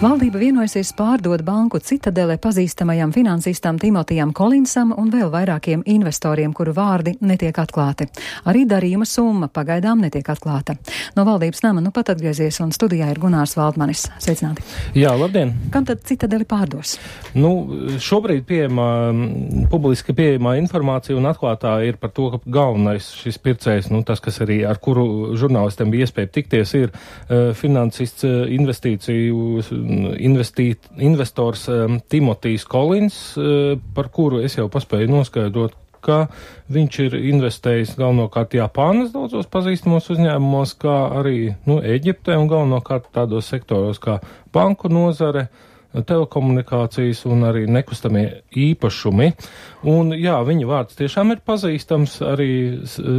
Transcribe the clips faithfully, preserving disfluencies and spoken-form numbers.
Valdība vienojusies pārdot banku Citadele pazīstamajam finansistam Timotijam Kolinsam un vēl vairākiem investoriem, kuru vārdi netiek atklāti. Arī darījuma summa pagaidām netiek atklāta. No valdības nama nu pat atgriezies un studijā ir Gunārs Valdmanis. Sveicināti. Jā, labdien. Kam tad Citadeli pārdos? Nu, šobrīd pieejamā, publiski pieejamā informācija un atklātā ir par to, ka galvenais šis pircējs, nu tas, kas arī ar kuru žurnālistiem bija iespēja tikties, ir uh, finansists uh, investīciju Investīt, investors um, Timotijs Kolins, uh, par kuru es jau paspēju noskaidrot, ka viņš ir investējis galvenokārt Japānas daudzos pazīstamos uzņēmumos, kā arī nu, Eģiptē un galvenokārt tādos sektoros kā banku nozare, telekomunikācijas un arī nekustamie īpašumi. Un jā, viņa vārds tiešām ir pazīstams arī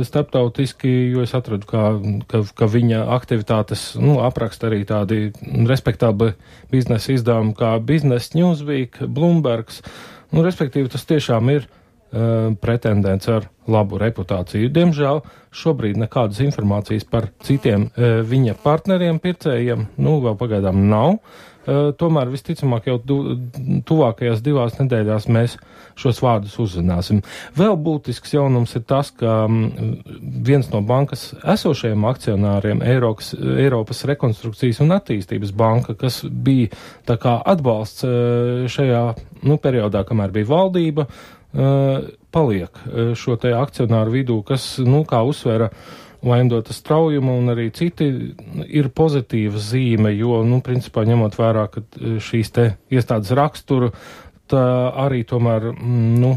starptautiski, jo es atradu, kā, ka, ka viņa aktivitātes nu, apraksta arī tādi respektabli biznesa izdevumi kā Business Newsweek, Bloombergs. Nu, respektīvi, tas tiešām ir uh, pretendents ar labu reputāciju. Diemžēl šobrīd nekādas informācijas par citiem uh, viņa partneriem, pircējiem, nu, vēl pagaidām nav. Uh, tomēr visticamāk jau du, tuvākajās divās nedēļās mēs šos vārdus uzzināsim. Vēl būtisks jaunums ir tas, ka um, viens no bankas esošajiem akcionāriem, Eiropas, Eiropas rekonstrukcijas un attīstības banka, kas bija tā kā atbalsts uh, šajā nu, periodā, kamēr bija valdība, uh, paliek uh, šo te akcionāru vidū, kas, nu, kā uzsvēra Vaindota straujuma un arī citi ir pozitīva zīme, jo, nu, principā ņemot vērā, ka šīs te iestādes raksturu, tā arī tomēr, nu,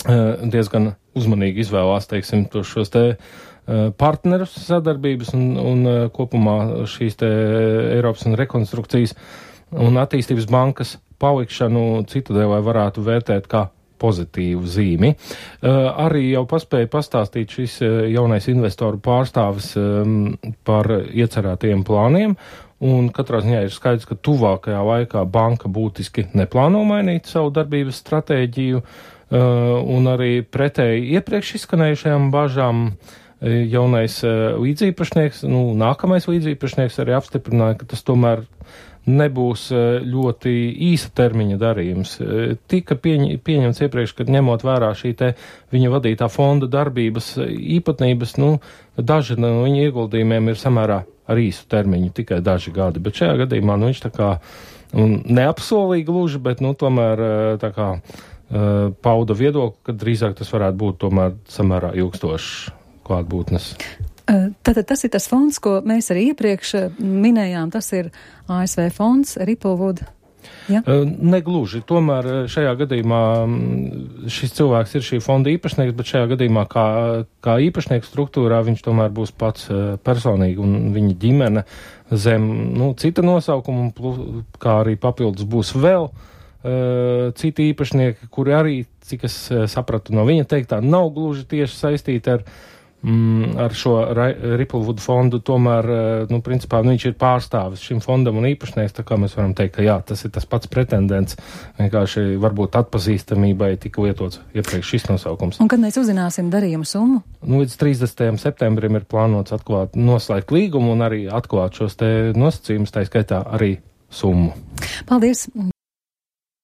diezgan uzmanīgi izvēlās, teiksim, šos te partnerus sadarbības un, un kopumā šīs te Eiropas un rekonstrukcijas un attīstības bankas palikšanu Citadelē varētu vērtēt kā pozitīvu zīmi. Uh, arī jau paspēja pastāstīt šis uh, jaunais investoru pārstāvis um, par iecerētajiem plāniem, un katrā ziņā ir skaidrs, ka tuvākajā laikā banka būtiski neplāno mainīt savu darbības stratēģiju, uh, un arī pretēji iepriekš izskanējušajām bažām uh, jaunais uh, līdzīpašnieks, nu, nākamais līdzīpašnieks arī apstiprināja, ka tas tomēr nebūs ļoti īsa termiņa darījums. Tika pieņ, pieņemts iepriekš, kad ņemot vērā šī te viņa vadītā fonda darbības īpatnības, nu, daži no viņa ieguldījumiem ir samērā ar īsu termiņu, tikai daži gadi, bet šajā gadījumā, nu, viņš tā kā un neapsolīja gluži, bet, nu, tomēr tā kā pauda viedokli, ka drīzāk tas varētu būt tomēr samērā ilgstošs klātbūtnes. Tātad tas ir tas fonds, ko mēs arī iepriekš minējām, tas ir A S V fonds, Ripplewood. Ja? Negluži, tomēr šajā gadījumā šis cilvēks ir šī fonda īpašnieks, bet šajā gadījumā kā, kā īpašnieku struktūrā viņš tomēr būs pats personīgi un viņa ģimene zem, nu, cita nosaukuma, kā arī papildus būs vēl uh, citi īpašnieki, kuri arī, cik es sapratu no viņa teiktā, nav gluži tieši saistīti ar Mm, ar šo Ripplewood fondu, tomēr, nu, principā, nu, viņš ir pārstāvis šim fondam un īpašnieks, tā kā mēs varam teikt, ka jā, tas ir tas pats pretendents, vienkārši varbūt atpazīstamībai tika lietots iepriekš šis nosaukums. Un kad mēs uzzināsim darījumu summu? Nu, līdz trīsdesmitajam septembrim ir plānots atklāt, noslēgt līgumu un arī atklāt šos te nosacījumus, tā skaitā arī summu. Paldies!